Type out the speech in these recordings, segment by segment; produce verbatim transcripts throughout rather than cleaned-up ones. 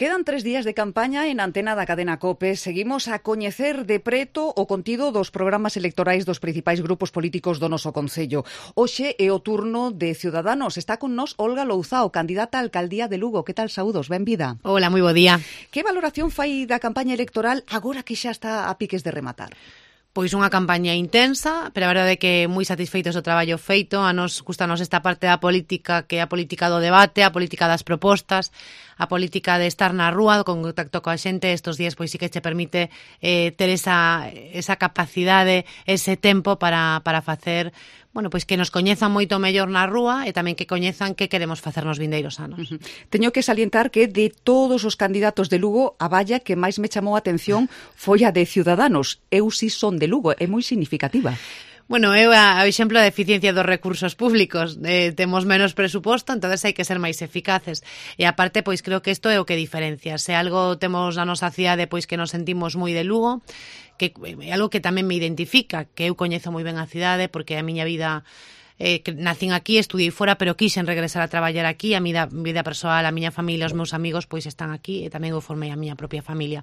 Quedan tres días de campaña en antena da cadena COPE. Seguimos a coñecer de preto o contido dos programas electorais dos principais grupos políticos do noso Concello. Hoxe é o turno de Ciudadanos. Está con nós Olga Louzao, candidata á alcaldía de Lugo. Que tal, saúdos? Benvida. Hola, moi bo día. Que valoración fai da campaña electoral agora que xa está a piques de rematar? Pois unha campaña intensa, pero a verdade é que moi satisfeitos do traballo feito. A nos gustanos esta parte da política, que é a política do debate, a política das propostas, a política de estar na rúa, con contacto coa xente. Estos días pois sí que che permite eh, ter esa, esa capacidade, ese tempo para, para facer, bueno, pois que nos coñezan moito mellor na rúa e tamén que coñezan que queremos facer nos vindeiros anos. Uh-huh. Teño que salientar que de todos os candidatos de Lugo, a valla que máis me chamou a atención foi a de Ciudadanos. Eu si son de Lugo, é moi significativa. Bueno, é o exemplo da eficiencia dos recursos públicos. Eh, temos menos presuposto, entonces hai que ser máis eficaces. E aparte, pois creo que isto é o que diferencia. Se algo temos na nosa cidade, pois que nos sentimos moi de Lugo, que é algo que tamén me identifica, que eu coñezo moi ben a cidade, porque a miña vida... Eh, que nacín aquí, estudiei fora, pero quixen regresar a traballar aquí. A miña vida persoal, a miña familia, os meus amigos, pois están aquí e tamén eu formei a miña propia familia.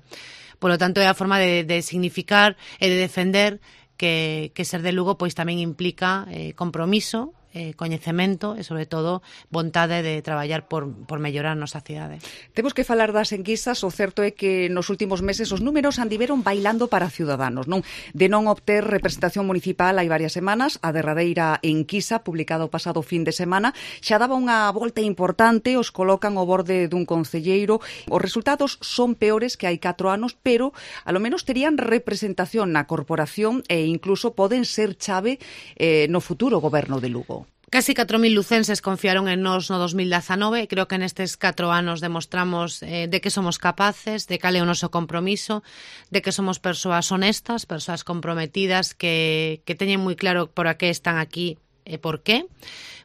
Por lo tanto, é a forma de, de significar e de defender que, que ser de Lugo pois tamén implica eh, compromiso, eh, coñecemento e, sobre todo, vontade de traballar por, por mellorar a nosa cidade. Temos que falar das enquisas. O certo é que nos últimos meses os números andiveron bailando para Ciudadanos, non? De non obter representación municipal hai varias semanas, a derradeira enquisa, publicada o pasado fin de semana, xa daba unha volta importante, os colocan ao borde dun concelleiro. Os resultados son peores que hai catro anos, pero a lo menos terían representación na corporación e incluso poden ser chave eh, no futuro goberno de Lugo. Casi catro mil lucenses confiaron en nós no dos mil dezanove. Creo que nestes catro anos demostramos eh, de que somos capaces, de cal é o noso compromiso, de que somos persoas honestas, persoas comprometidas, que, que teñen moi claro por a que están aquí e por qué.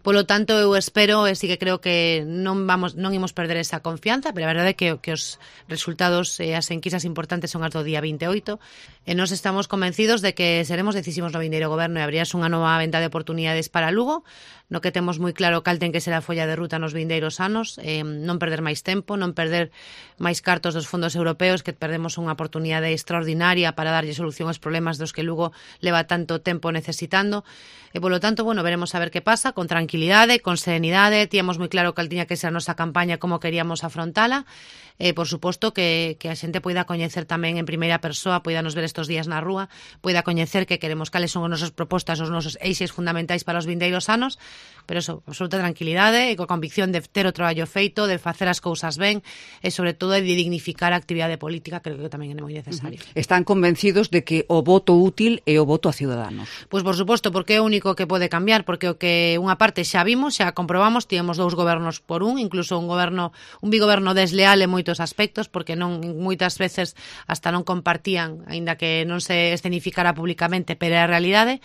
Polo tanto, eu espero e sí que creo que non vamos non imos perder esa confianza, pero a verdade é que, que os resultados e as enquisas importantes son as do día vinte e oito, e nós estamos convencidos de que seremos decisivos no vindeiro goberno e abrirás unha nova venta de oportunidades para Lugo, no que temos moi claro cal ten que ser a folla de ruta nos vindeiros anos, eh, non perder máis tempo, non perder máis cartos dos fondos europeos, que perdemos unha oportunidade extraordinaria para darlle solución aos problemas dos que Lugo leva tanto tempo necesitando, e polo tanto, bueno, veremos a ver que pasa, con tranquilidade, con serenidade. Tíamos moi claro cal tiña que ser a nosa campaña, como queríamos afrontala, e, por suposto, que, que a xente poida coñecer tamén en primeira persoa, poida nos ver estos días na rúa, poida coñecer que queremos cales son as nosas propostas, os nosos eixes fundamentais para os vindeiros anos, pero eso, absoluta tranquilidade e coa convicción de ter o traballo feito, de facer as cousas ben e, sobre todo, de dignificar a actividade política, que creo que tamén é moi necesario. Uh-huh. Están convencidos de que o voto útil é o voto a Ciudadanos? Pois, por suposto, porque é o único que pode cambiar, porque o que unha parte xa vimos, xa comprobamos, tivemos dous gobernos por un, incluso un goberno, un bigoberno desleal en moitos aspectos, porque non moitas veces hasta non compartían, aínda que non se escenificara públicamente, pero é a realidade.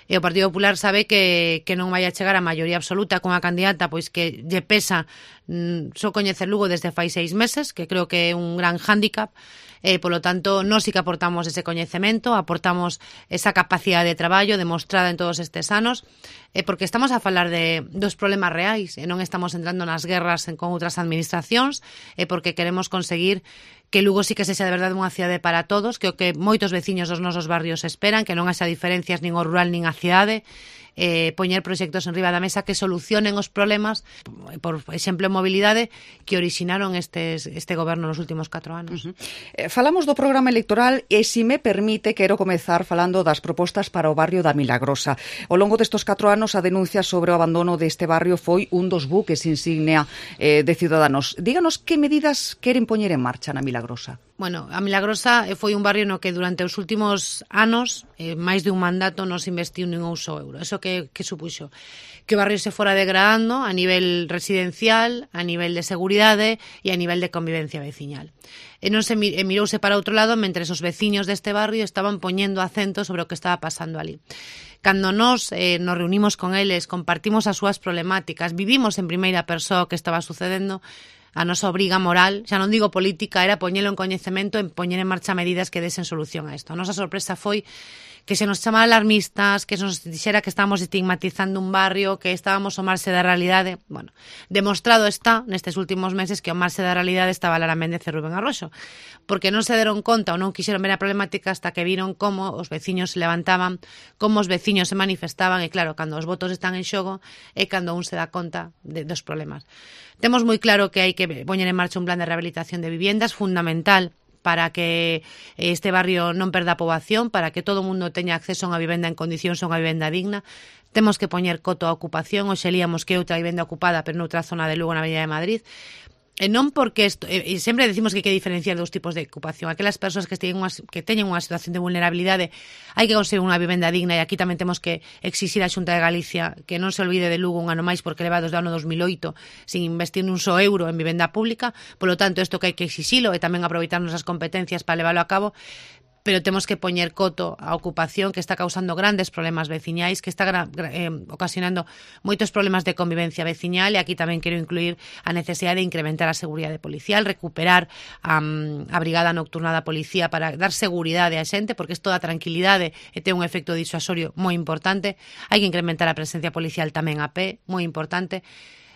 E o Partido Popular sabe que, que non vai a chegar a maioría absoluta con a candidata, pois que lle pesa mm, só coñecer Lugo desde fai seis meses, que creo que é un gran hándicap. E, polo tanto, nós sí que aportamos ese coñecemento, aportamos esa capacidade de traballo demostrada en todos estes anos, e porque estamos a falar de dos problemas reais e non estamos entrando nas guerras con outras administracións, e porque queremos conseguir que Lugo sí que sexa de verdade unha cidade para todos, que o que moitos veciños dos nosos barrios esperan, que non haxa diferencias nin ao rural nin á cidade, eh, poñer proxectos en riba da mesa que solucionen os problemas, por exemplo, en mobilidade, que originaron estes, este goberno nos últimos catro anos. Uh-huh. eh, falamos do programa electoral e, se me permite, quero comezar falando das propostas para o barrio da Milagrosa. Ao longo destes catro anos, a denuncia sobre o abandono deste barrio foi un dos buques insignia eh, de Ciudadanos. Díganos que medidas queren poñer en marcha na Milagrosa. Bueno, a Milagrosa foi un barrio no que durante os últimos anos, eh, máis de un mandato, non se investiu nin un só euro. Eso que, que supuxo? Que o barrio se fora degradando a nivel residencial, a nivel de seguridade e a nivel de convivencia veciñal. E non se e mirouse para outro lado mentre os veciños deste barrio estaban poñendo acento sobre o que estaba pasando ali. Cando nós eh, nos reunimos con eles, compartimos as súas problemáticas, vivimos en primeira persoa o que estaba sucedendo, a nosa obriga moral, xa non digo política, era poñelo en coñecemento, en poñer en marcha medidas que desen solución a isto. A nosa sorpresa foi que se nos chamara alarmistas, que se nos dixera que estábamos estigmatizando un barrio, que estábamos ao marxe da realidade. Bueno, demostrado está nestes últimos meses que ao marxe da realidade estaba Lara Méndez e Rubén Arroxo, porque non se deron conta ou non quixeron ver a problemática hasta que viron como os veciños se levantaban, como os veciños se manifestaban, e claro, cando os votos están en xogo é cando un se dá conta de, dos problemas. Temos moi claro que hai que poñer en marcha un plan de rehabilitación de viviendas fundamental para que este barrio non perda a poboación, para que todo o mundo teña acceso a unha vivenda en condicións, a unha vivenda digna. Temos que poñer coto á ocupación, hoxe líamos que outra vivenda ocupada, pero noutra zona de Lugo, na Avenida de Madrid. E non porque isto, e sempre decimos que hai que diferenciar dos tipos de ocupación. Aquelas persoas que teñen unha, que teñen unha situación de vulnerabilidade, hai que conseguir unha vivenda digna, e aquí tamén temos que exixir a Xunta de Galicia que non se olvide de Lugo un ano máis, porque leva desde o ano dos mil oito sin investir nun só euro en vivenda pública. Polo tanto, isto que hai que exixilo e tamén aproveitar nosas competencias para leválo a cabo, pero temos que poñer coto á ocupación que está causando grandes problemas veciñais, que está eh, ocasionando moitos problemas de convivencia veciñal, e aquí tamén quero incluir a necesidade de incrementar a seguridade policial, recuperar um, a brigada nocturna da policía para dar seguridade á xente, porque isto da tranquilidade e ten un efecto disuasorio moi importante. Hai que incrementar a presencia policial tamén a pé, moi importante.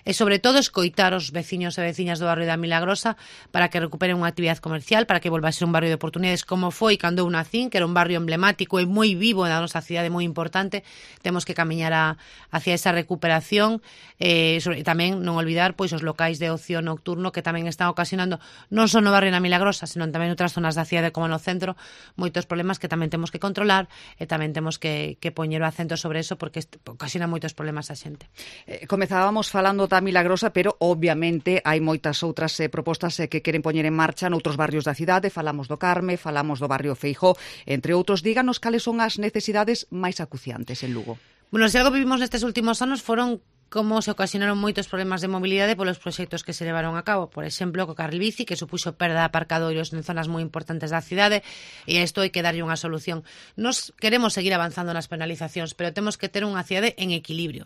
E, sobre todo, escoitar os veciños e veciñas do barrio da Milagrosa para que recuperen unha actividade comercial, para que volva a ser un barrio de oportunidades como foi cando eu nacín, que era un barrio emblemático e moi vivo na nosa cidade, moi importante. Temos que camiñar a, hacia esa recuperación, e, sobre, tamén non olvidar pois os locais de ocio nocturno que tamén están ocasionando non só no barrio da Milagrosa, senón tamén outras zonas da cidade como no centro, moitos problemas que tamén temos que controlar, e tamén temos que, que poñer o acento sobre eso, porque ocasiona moitos problemas a xente. Eh, comezábamos falando da Milagrosa, pero obviamente hai moitas outras eh, propostas eh, que queren poñer en marcha noutros barrios da cidade. Falamos do Carme, falamos do barrio Feijó, entre outros. Díganos cales son as necesidades máis acuciantes en Lugo. Bueno, se algo vivimos nestes últimos anos foron como se ocasionaron moitos problemas de mobilidade polos proxectos que se levaron a cabo. Por exemplo, co carril bici, que supuxo perda de aparcadoiros en zonas moi importantes da cidade, e a isto hai que darlle unha solución. Nos queremos seguir avanzando nas penalizacións, pero temos que ter unha cidade en equilibrio.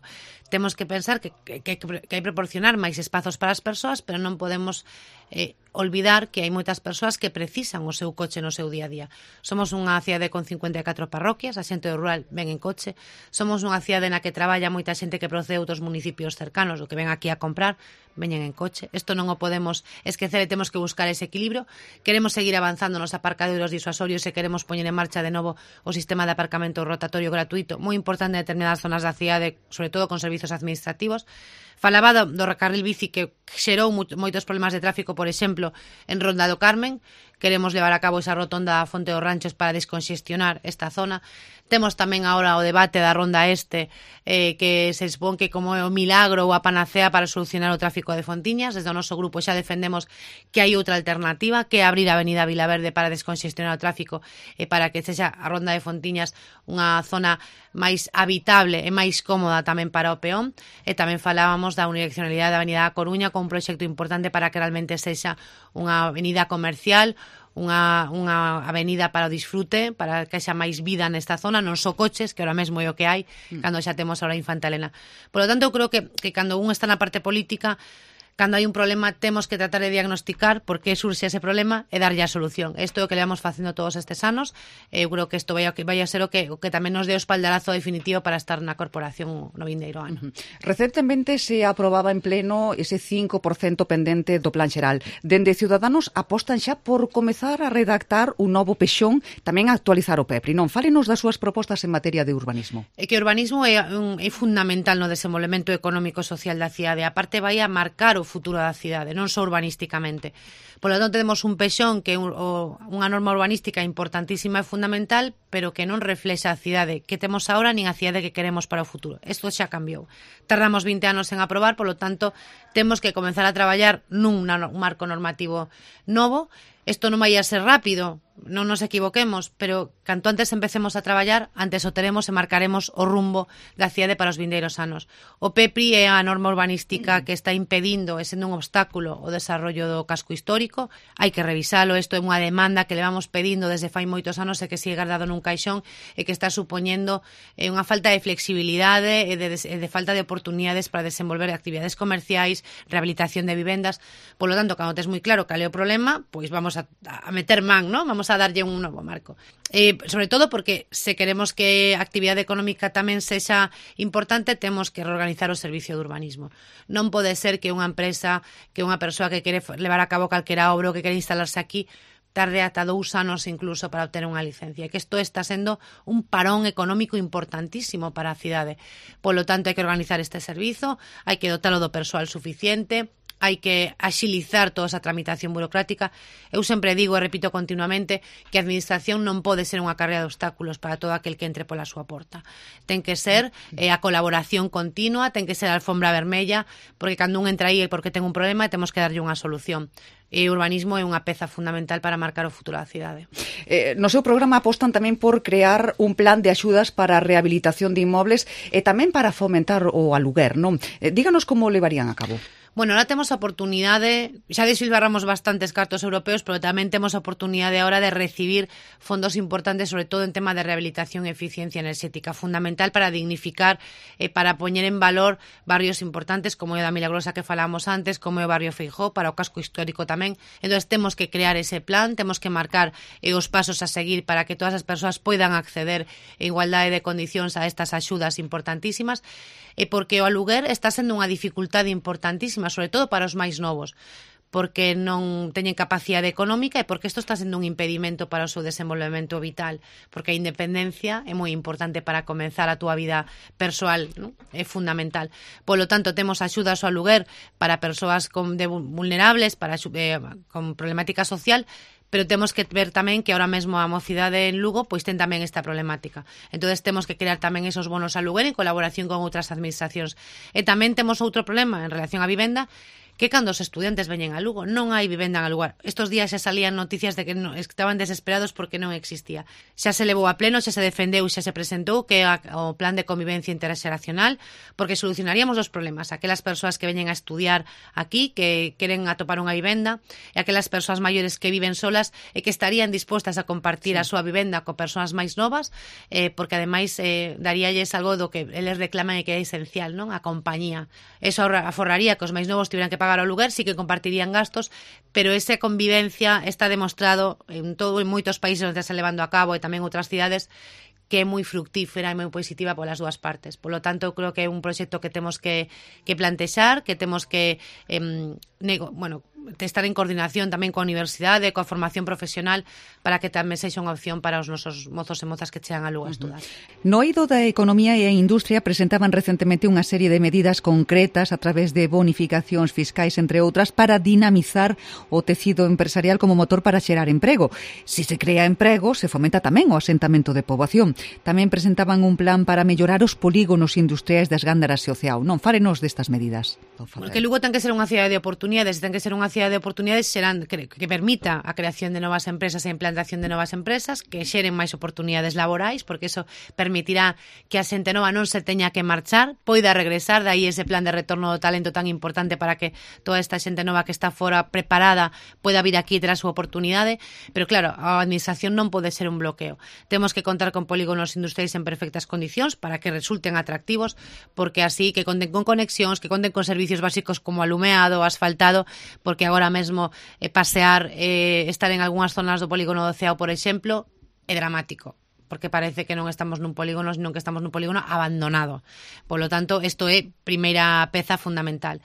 Temos que pensar que, que, que, que hai que proporcionar máis espazos para as persoas, pero non podemos eh, olvidar que hai moitas persoas que precisan o seu coche no seu día a día. Somos unha cidade con cincuenta e catro parroquias, a xente do rural ven en coche. Somos unha cidade na que traballa moita xente que procede de outros municipios cercanos, o que ven aquí a comprar, veñen en coche. Isto non o podemos esquecer e temos que buscar ese equilibrio. Queremos seguir avanzando nos aparcadoiros disuasorios e queremos poñer en marcha de novo o sistema de aparcamento rotatorio gratuito, moi importante en determinadas zonas da cidade, sobre todo con servizos administrativos. Falaba do, do carril bici que xerou moitos problemas de tráfico, por exemplo, en Ronda do Carmen. Queremos levar a cabo esa rotonda a Fonte dos Ranchos para desconxestionar esta zona. Temos tamén agora o debate da Ronda Este, eh, que se expón que como é o milagro ou a panacea para solucionar o tráfico de Fontiñas. Desde o noso grupo xa defendemos que hai outra alternativa, que é abrir a Avenida Vilaverde para desconxestionar o tráfico e para que sexa a Ronda de Fontiñas unha zona máis habitable e máis cómoda tamén para o peón. E tamén falábamos da unidireccionalidade da Avenida da Coruña con un proxecto importante para que realmente sexa unha avenida comercial, unha, unha avenida para o disfrute, para que xa máis vida nesta zona, non só coches, que ahora mesmo é o que hai, mm. cando xa temos ahora Infanta Elena. Por lo tanto, eu creo que, que cando un está na parte política, cando hai un problema, temos que tratar de diagnosticar por que surxe ese problema e darlle a solución. Isto é o que levamos facendo todos estes anos. Eu creo que isto vai a, vai a ser o que, o que tamén nos dé o espaldarazo definitivo para estar na corporación no vindeiro ano. Uh-huh. Recentemente se aprobaba en pleno ese cinco por cento pendente do Plan Xeral. Dende Ciudadanos apostan xa por comezar a redactar un novo pexón, tamén a actualizar o P E P R I. Non, fálenos das súas propostas en materia de urbanismo. É que o urbanismo é, un, é fundamental no desenvolvemento económico e social da cidade. A parte vai a marcar o futuro da cidade, non só urbanísticamente. Por lo tanto, temos un pexón que é un, o, unha norma urbanística importantísima e fundamental, pero que non reflexa a cidade que temos agora nin a cidade que queremos para o futuro. Isto xa cambiou. Tardamos vinte anos en aprobar, por lo tanto, temos que comenzar a traballar nun un marco normativo novo. Isto non vai a ser rápido, non nos equivoquemos, pero canto antes empecemos a traballar, antes o teremos e marcaremos o rumbo da cidade para os vindeiros anos. O P E P R I é a norma urbanística que está impedindo e sendo un obstáculo o desarrollo do casco histórico. Hai que revisalo, isto é unha demanda que levamos pedindo desde fai moitos anos e que sigue guardado nun caixón e que está supoñendo eh, unha falta de flexibilidade e de, de, de falta de oportunidades para desenvolver actividades comerciais, rehabilitación de vivendas. Por lo tanto, cando tes moi claro cal é o problema, pois vamos vamos a, a meter man, ¿no? Vamos a darlle un novo marco. Eh, sobre todo porque se queremos que a actividade económica tamén sexa importante, temos que reorganizar o servicio de urbanismo. Non pode ser que unha empresa, que unha persoa que quere levar a cabo calquera obra ou que quere instalarse aquí tarde ata dous anos incluso para obter unha licencia. Que isto está sendo un parón económico importantísimo para a cidade. Polo tanto, hai que organizar este servizo, hai que dotalo do persoal suficiente, hai que axilizar toda esa tramitación burocrática. Eu sempre digo e repito continuamente que a administración non pode ser unha carreira de obstáculos para todo aquel que entre pola súa porta. Ten que ser eh, a colaboración continua, ten que ser a alfombra vermella, porque cando un entra aí é porque ten un problema e temos que darlle unha solución. E o urbanismo é unha peza fundamental para marcar o futuro da cidade. Eh, no seu programa apostan tamén por crear un plan de axudas para a rehabilitación de inmobles e tamén para fomentar o aluguer, non? Eh, díganos como levarían a cabo. Bueno, ahora temos a oportunidade, xa desfilbarramos bastantes cartos europeos, pero tamén temos a oportunidade ahora de recibir fondos importantes, sobre todo en tema de rehabilitación e eficiencia enerxética, fundamental para dignificar e eh, para poñer en valor barrios importantes como é o da Milagrosa que falamos antes, como é o barrio Feijó, para o casco histórico tamén. Entón, temos que crear ese plan, temos que marcar eh, os pasos a seguir para que todas as persoas poidan acceder en igualdade de condicións a estas axudas importantísimas, e porque o aluguer está sendo unha dificultade importantísima, sobre todo para os máis novos, porque non teñen capacidade económica e porque isto está sendo un impedimento para o seu desenvolvemento vital, porque a independencia é moi importante para comenzar a túa vida persoal, ¿no? É fundamental. Polo tanto, temos axudas ao aluguer para persoas con, de vulnerables, para eh, con problemática social, pero temos que ver tamén que ahora mesmo a mocidade en Lugo pois ten tamén esta problemática. Entonces temos que crear tamén esos bonos a aluguer en colaboración con outras administracións. E tamén temos outro problema en relación á vivenda, que cando os estudiantes veñen a Lugo non hai vivenda en alugar. Estos días xa salían noticias de que non, estaban desesperados porque non existía. Xa se levou a pleno, xa se defendeu, xa se presentou que a, o plan de convivencia interxeracional, porque solucionaríamos os problemas. Aquelas persoas que veñen a estudiar aquí, que queren atopar unha vivenda, e aquelas persoas maiores que viven solas e que estarían dispostas a compartir sí. a súa vivenda con persoas máis novas, eh, porque ademais eh, daríalles algo do que eles reclaman e que é esencial, non? A compañía. Eso aforraría que os máis novos tiveran que pagar o lugar, sí que compartirían gastos, pero esa convivencia está demostrado en todo en moitos países onde está levando a cabo e tamén outras cidades que é moi fructífera e moi positiva polas dúas partes. Por lo tanto, eu creo que é un proxecto que temos que, que plantexar, que temos que eh, nego, bueno, estar en coordinación tamén coa universidade, coa formación profesional, para que tamén sexa unha opción para os nosos mozos e mozas que chegan a Lugo a estudar. No eido da Economía e a Industria presentaban recentemente unha serie de medidas concretas a través de bonificacións fiscais, entre outras, para dinamizar o tecido empresarial como motor para xerar emprego. Si se crea emprego, se fomenta tamén o asentamento de poboación. Tamén presentaban un plan para mellorar os polígonos industriais das Gándaras e o Ceao. Non, fárenos destas medidas. Porque Lugo ten que ser unha cidade de oportunidades, ten que ser unha cidade de oportunidades serán, que, que permita a creación de novas empresas e a implantación de novas empresas, que xeren máis oportunidades laborais, porque eso permitirá que a xente nova non se teña que marchar, poida regresar, dai ese plan de retorno do talento tan importante para que toda esta xente nova que está fora preparada poida vir aquí e ter a súa oportunidade. Pero claro, a administración non pode ser un bloqueo. Temos que contar con polígonos industriais en perfectas condicións para que resulten atractivos, porque así que conten con conexións, que conten con servicios básicos como alumeado, asfaltado, porque agora mesmo eh, pasear, eh, estar en algunhas zonas do polígono do Ceao, por exemplo, é dramático, porque parece que non estamos nun polígono, senón que estamos nun polígono abandonado. Por lo tanto, isto é primeira peza fundamental.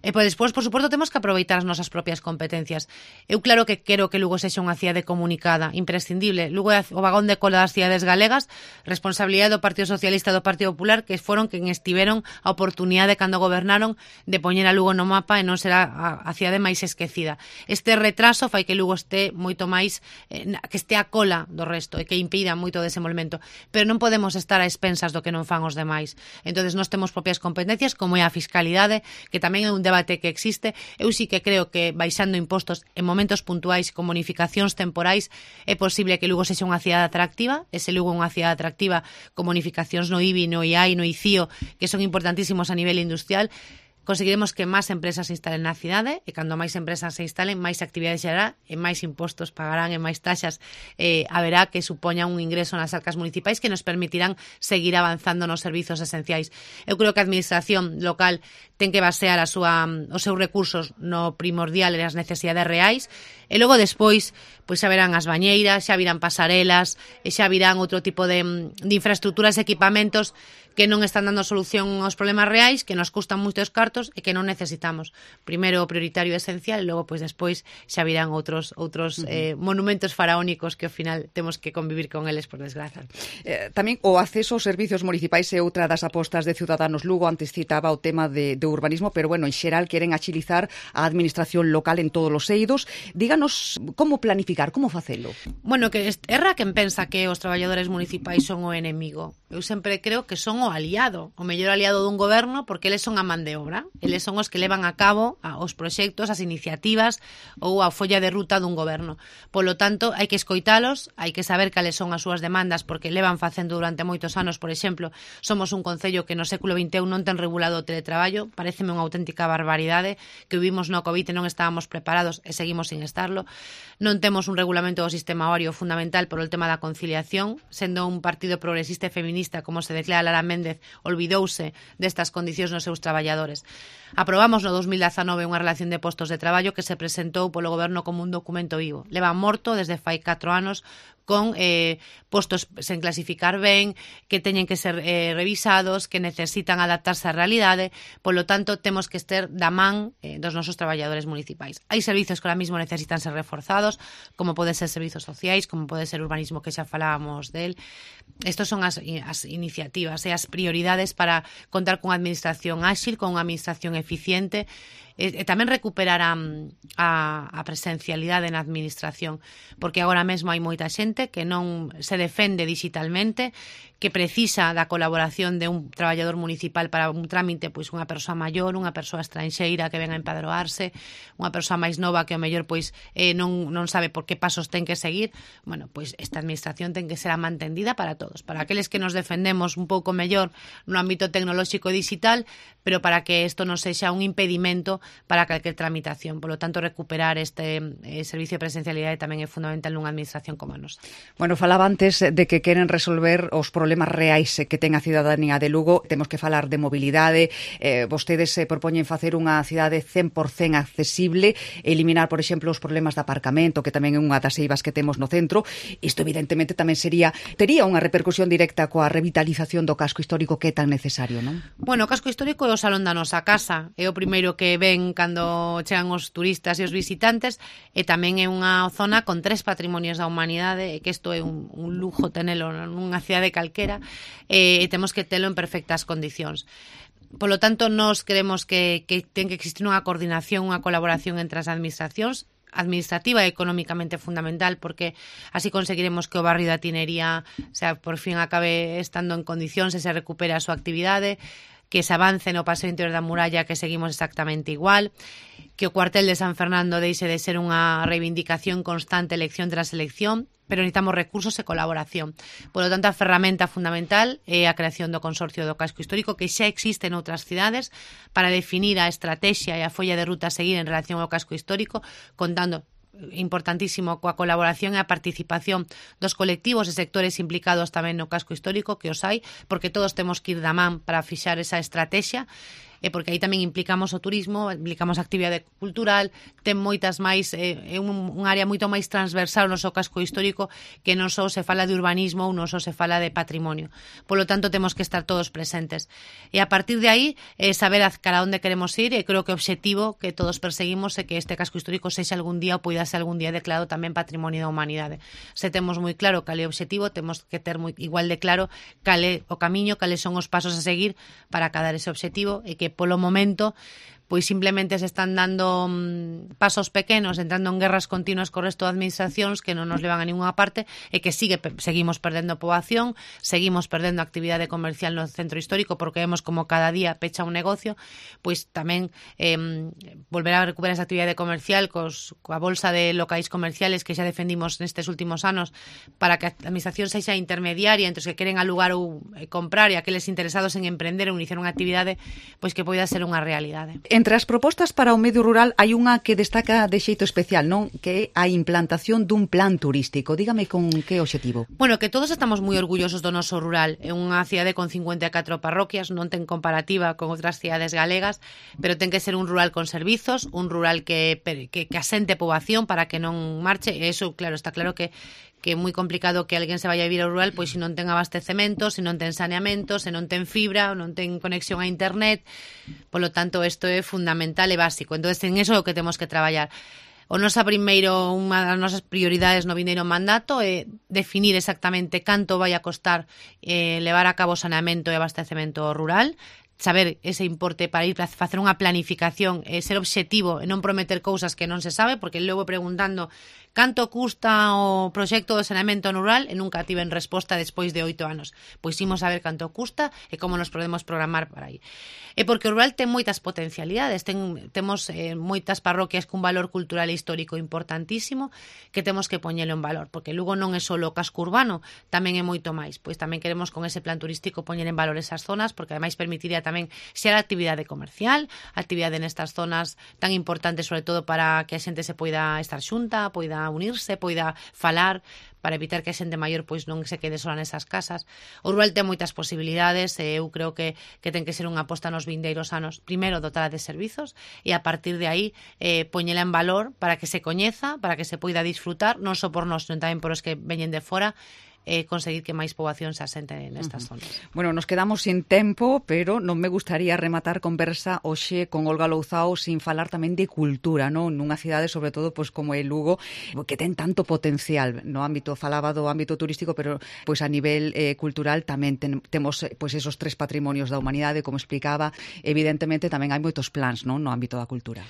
E pois despois, por suposto, temos que aproveitar as nosas propias competencias. Eu claro que quero que Lugo sexa unha cidade comunicada, imprescindible. Lugo é o vagón de cola das cidades galegas, responsabilidade do Partido Socialista e do Partido Popular, que foron quen estiveron a oportunidade cando gobernaron de poñer a Lugo no mapa e non será a, a cidade máis esquecida. Este retraso fai que Lugo este moito máis, eh, que este a cola do resto e que impida moito o desenvolvemento. Pero non podemos estar a expensas do que non fan os demais. Entonces, nós temos propias competencias, como é a fiscalidade, que tamén é un debate que existe. Eu sí que creo que baixando impostos en momentos puntuais con bonificacións temporais é posible que Lugo sexa unha cidade atractiva. Ese Lugo é unha cidade atractiva con bonificacións no I B I, no I A I, no I C I O, que son importantísimos a nivel industrial. conseguiremos que máis empresas se instalen na cidade, e cando máis empresas se instalen, máis actividades xerará, e máis impostos pagarán, e máis taxas eh, haberá que supoña un ingreso nas arcas municipais que nos permitirán seguir avanzando nos servizos esenciais. Eu creo que a administración local ten que basear a súa, os seus recursos no primordial e as necesidades reais, e logo despois pois xa verán as bañeiras, xa virán pasarelas, e xa virán outro tipo de, de infraestructuras e equipamentos que non están dando solución aos problemas reais, que nos custan moitos cartos e que non necesitamos. Primeiro o prioritario e esencial, e logo pois despois xa virán outros outros uh-huh. eh, monumentos faraónicos que ao final temos que convivir con eles, por desgraza. Eh, tamén o acceso aos servizos municipais é outra das apostas de Ciudadanos Lugo. Antes citaba o tema de, de urbanismo, pero bueno, en xeral queren agilizar a administración local en todos os eidos. Díganos como planificar, como facelo. Bueno, que erra quen pensa que os traballadores municipais son o enemigo. Eu sempre creo que son o aliado, o mellor aliado dun goberno, porque eles son a man de obra, eles son os que levan a cabo os proxectos, as iniciativas ou a folla de ruta dun goberno. Polo tanto, hai que escoitalos, hai que saber cales son as súas demandas, porque levan facendo durante moitos anos. Por exemplo, somos un concello que no século vinte e un non ten regulado o teletraballo, pareceme unha auténtica barbaridade, que vivimos no COVID e non estábamos preparados e seguimos sin estarlo. Non temos un regulamento do sistema horario fundamental por o tema da conciliación, sendo un partido progresista e feminista, como se declara Lara Méndez, olvidouse destas condicións nos seus traballadores. Aprobamos no dos mil dezanove unha relación de postos de traballo que se presentou polo goberno como un documento vivo. Leva morto desde fai catro anos con eh, postos sen clasificar ben, que teñen que ser eh, revisados, que necesitan adaptarse á realidade. Polo tanto, temos que estar da man eh, dos nosos traballadores municipais. Hai servizos que ahora mismo necesitan ser reforzados, como pode ser servizos sociais, como pode ser urbanismo, que xa falábamos del. Estos son as, as iniciativas e as prioridades para contar cunha administración áxil, con unha administración eficiente, e, e tamén recuperar a, a, a presencialidade na administración, porque agora mesmo hai moita xente que non se defende digitalmente, que precisa da colaboración de un traballador municipal para un trámite, pois unha persoa maior, unha persoa estranxeira que ven a empadroarse, unha persoa máis nova que ao mellor pois eh, non, non sabe por que pasos ten que seguir. Bueno, pois esta administración ten que ser a mantendida para todos, para aqueles que nos defendemos un pouco mellor no ámbito tecnolóxico e digital, pero para que isto non sexa un impedimento para calquer tramitación. Por lo tanto, recuperar este eh, servicio de presencialidade tamén é fundamental nunha administración como a nosa. Bueno, falaba antes de que queren resolver os problemas reais que ten a cidadanía de Lugo. Temos que falar de mobilidade. Eh, vostedes se propoñen facer unha cidade cen por cen accesible, eliminar, por exemplo, os problemas de aparcamento, que tamén é unha das eivas que temos no centro. Isto, evidentemente, tamén sería tería unha repercusión directa coa revitalización do casco histórico que é tan necesario, non? Bueno, o casco histórico é o salón da nosa casa. É o primeiro que ven cando chegan os turistas e os visitantes, e tamén é unha zona con tres patrimonios da humanidade, e que isto é un, un lujo tenelo nunha cidade calquera, e temos que telo en perfectas condicións. Polo tanto, nós queremos que, que ten que existir unha coordinación, unha colaboración entre as administracións, administrativa e económicamente fundamental, porque así conseguiremos que o barrio da Tinería, o sea, por fin acabe estando en condicións e se recupere a súa actividade, que se avance no paseo interior da muralla, que seguimos exactamente igual, que o cuartel de San Fernando deixe de ser unha reivindicación constante elección tras elección, pero necesitamos recursos e colaboración. Por lo tanto, a ferramenta fundamental é a creación do Consorcio do Casco Histórico, que xa existe en outras cidades, para definir a estrategia e a folla de ruta a seguir en relación ao casco histórico, contando importantísimo coa colaboración e a participación dos colectivos e sectores implicados tamén no casco histórico, que os hai, porque todos temos que ir da man para fixar esa estrategia, e porque aí tamén implicamos o turismo, implicamos a actividade cultural, ten moitas máis, é un, un área moito máis transversal no noso casco histórico, que non só se fala de urbanismo ou non só se fala de patrimonio. Por lo tanto, temos que estar todos presentes. E a partir de aí, eh, saber a cara onde queremos ir, e creo que o objetivo que todos perseguimos é que este casco histórico sexa algún día ou poida ser algún día declarado tamén patrimonio da humanidade. Se temos moi claro cal é o objetivo, temos que ter moi, igual de claro cal é o camiño, cales son os pasos a seguir para acadar ese objetivo, e que polo momento pois simplemente se están dando mm, pasos pequenos, entrando en guerras continuas co resto de administracións que non nos levan a ninguna parte e que sigue seguimos perdendo poboación, seguimos perdendo actividade comercial no centro histórico porque vemos como cada día pecha un negocio, pois tamén eh, volver a recuperar esa actividade comercial cos, coa bolsa de locais comerciales que xa defendimos nestes últimos anos para que a administración sexa intermediaria entre os que queren alugar ou comprar e aqueles interesados en emprender ou iniciar unha actividade, pois que poida ser unha realidade. Entre as propostas para o medio rural hai unha que destaca de xeito especial, non? Que é a implantación dun plan turístico. Dígame con que obxectivo. Bueno, que todos estamos moi orgullosos do noso rural. É unha cidade con cincuenta e catro parroquias, non ten comparativa con outras cidades galegas, pero ten que ser un rural con servizos, un rural que, que, que asente poboación para que non marche. E eso, claro, está claro que que é moi complicado que alguén se vaya a vivir ao rural pois se non ten abastecemento, se non ten saneamento, se non ten fibra, non ten conexión a internet. Por lo tanto, isto é fundamental e básico. Entonces, en eso é o que temos que traballar. O nosa primeiro, unha das nosas prioridades no vindeiro mandato é definir exactamente canto vai a costar eh, levar a cabo saneamento e abastecemento rural, saber ese importe para ir a facer unha planificación e ser obxectivo e non prometer cousas que non se sabe, porque logo preguntando canto custa o proxecto de saneamento rural e nunca tiven resposta despois de oito anos. Pois imos saber canto custa e como nos podemos programar para aí. E porque o rural ten moitas potencialidades, ten, temos eh, moitas parroquias cun valor cultural e histórico importantísimo que temos que poñelo en valor, porque Lugo non é só o casco urbano, tamén é moito máis. Pois tamén queremos con ese plan turístico poñer en valor esas zonas, porque ademais permitiría tamén xerar actividade comercial, actividade nestas zonas tan importantes, sobre todo para que a xente se poida estar xunta, poida unirse, poida falar, para evitar que a xente maior pois non se quede sola nesas casas. O rural ten moitas posibilidades e eu creo que, que ten que ser unha aposta nos vindeiros anos. Primeiro, dotada de servizos e a partir de aí eh, poñela en valor para que se coñeza, para que se poida disfrutar, non só por nós, non tamén por os que veñen de fora, e conseguir que máis poboación se asente nestas uh-huh. zonas. Bueno, nos quedamos sin tempo, pero non me gustaría rematar conversa hoxe con Olga Louzao sin falar tamén de cultura, non? Nunha cidade, sobre todo, pois como é Lugo, que ten tanto potencial no ámbito, falaba do ámbito turístico, pero pois a nivel eh, cultural tamén ten, temos pois esos tres patrimonios da humanidade, como explicaba, evidentemente tamén hai moitos plans, non, no ámbito da cultura.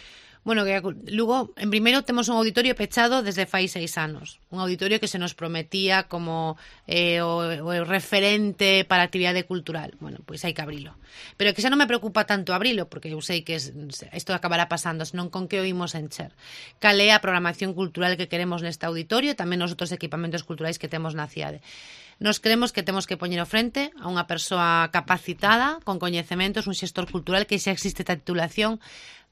Bueno, que luego, en primeiro, temos un auditorio pechado desde fai seis anos. Un auditorio que se nos prometía como eh, o, o referente para a actividade cultural. Bueno, pois hai que abrilo. Pero que xa non me preocupa tanto abrilo, porque eu sei que isto acabará pasando, senón con que o imos encher. Cal é a programación cultural que queremos neste auditorio, tamén nos outros equipamentos culturais que temos na cidade. Nos creemos que temos que poñer ao frente a unha persoa capacitada, con coñecementos, un xestor cultural, que xa existe esta titulación,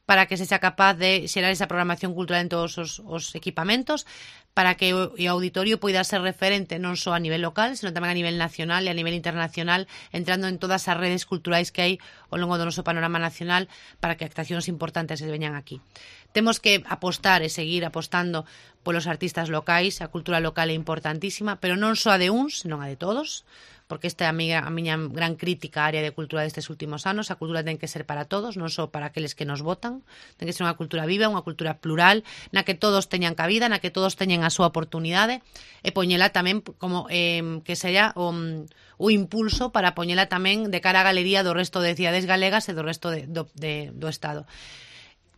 para que se sea capaz de xerar esa programación cultural en todos os, os equipamentos, para que o, o auditorio poida ser referente non só a nivel local, senón tamén a nivel nacional e a nivel internacional, entrando en todas as redes culturais que hai ao longo do noso panorama nacional para que actuacións importantes se veñan aquí. Temos que apostar e seguir apostando polos artistas locais, a cultura local é importantísima, pero non só a de uns, senón a de todos, porque esta é a miña, a miña gran crítica á área de cultura destes últimos anos. A cultura ten que ser para todos, non só para aqueles que nos votan. Ten que ser unha cultura viva, unha cultura plural, na que todos teñan cabida, na que todos teñan a súa oportunidade, e poñela tamén como eh, que sería o, o impulso para poñela tamén de cara á galería do resto de cidades galegas e do resto de, do, de, do Estado.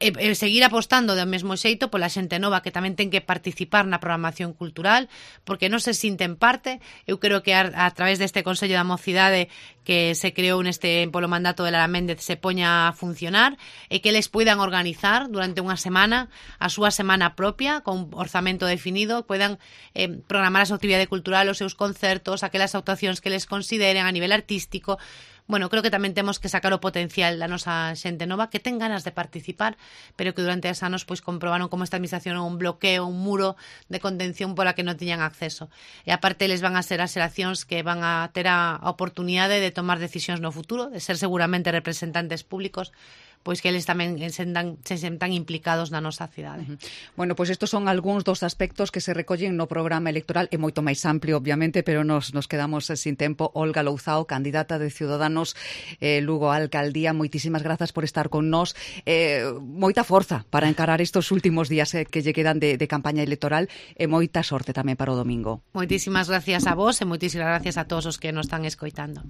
E, e seguir apostando do mesmo xeito pola xente nova que tamén ten que participar na programación cultural, porque non se sinten parte. Eu creo que a, a través deste Consello da Mocidade que se creou neste polo mandato de Lara Méndez se poña a funcionar e que eles poidan organizar durante unha semana a súa semana propia con orzamento definido, poidan eh, programar a súa actividade cultural, os seus concertos, aquelas actuacións que les consideren a nivel artístico. Bueno, creo que tamén temos que sacar o potencial da nosa xente nova que ten ganas de participar, pero que durante os anos pois comprobaron como esta administración é un bloqueo, un muro de contención pola que non tiñan acceso. E aparte, eles van a ser as xeracións que van a ter a oportunidade de tomar decisións no futuro, de ser seguramente representantes públicos, pois que eles tamén se sentan, se sentan implicados na nosa cidade. Uh-huh. Bueno, pois estos son algúns dos aspectos que se recollen no programa electoral, é moito máis amplio, obviamente, pero nos, nos quedamos sin tempo. Olga Louzao, candidata de Ciudadanos eh, Lugo a Alcaldía, moitísimas grazas por estar con nós. Eh, moita forza para encarar estos últimos días eh, que lle quedan de, de campaña electoral e moita sorte tamén para o domingo. Moitísimas gracias a vos e moitísimas gracias a todos os que nos están escoitando.